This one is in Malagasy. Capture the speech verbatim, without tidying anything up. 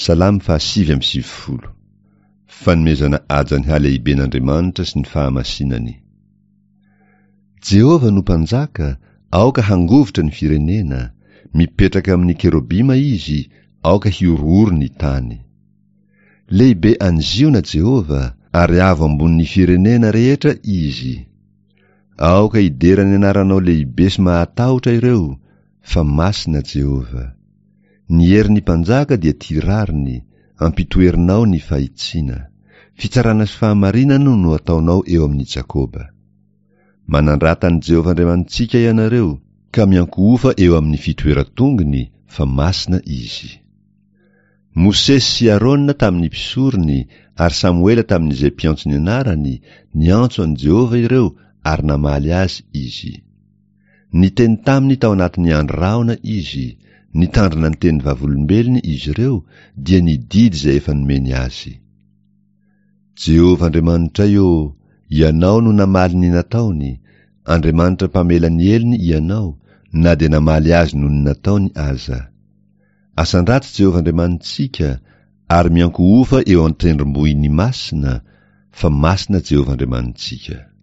Salamo fahasivy amby sivifolo. Fanomezana haja ny halehiben'Andriamanitra sy ny fahamasinany. Jehovah no mpanjaka, aoka hangovitra ny firenena, mipetraka amin'ny kerobima izy, aoka hihorohoro ny tany. Lehibe any Ziona Jehovah, ary avo ambonin'ny firenena rehetra izy. Aoka hidera ny anaranao lehibe sy mahatahotra ireo, fa masina Jehovah. Ny herin'ny mpanjaka dia tia rariny, ampitoerinao ny fahitsiana. Fitsarana sy fahamarinana no ataonao eo amin'i Jakoba. Manandrata an'i Jehovah Andriamanitsika ianareo, ka miankohofa eo amin'ny fitoeran-tongony, fa masina izy. Mosesy sy Arona tamin'ny mpisorony ary Samoela tamin'izay mpiantso ny anarany, niantso an'i Jehovah ireo ary namaly azy izy. Niteny taminy tao anatin'ny andry rahona izy, nitandrina ny teny vavolombelony izy ireo, dia ny didy izay efa nomeny azy. Jehovah Andriamanitray ô, Ianao no namaly ny nataony, Andriamanitra mpamela ny helony Ianao, na dia namaly azy noho ny nataony aza. Asandrato Jehovah Andriamanitsika, ary miankohofa eo an-tendrombohiny masina, fa masina Jehovah Andriamanitsika.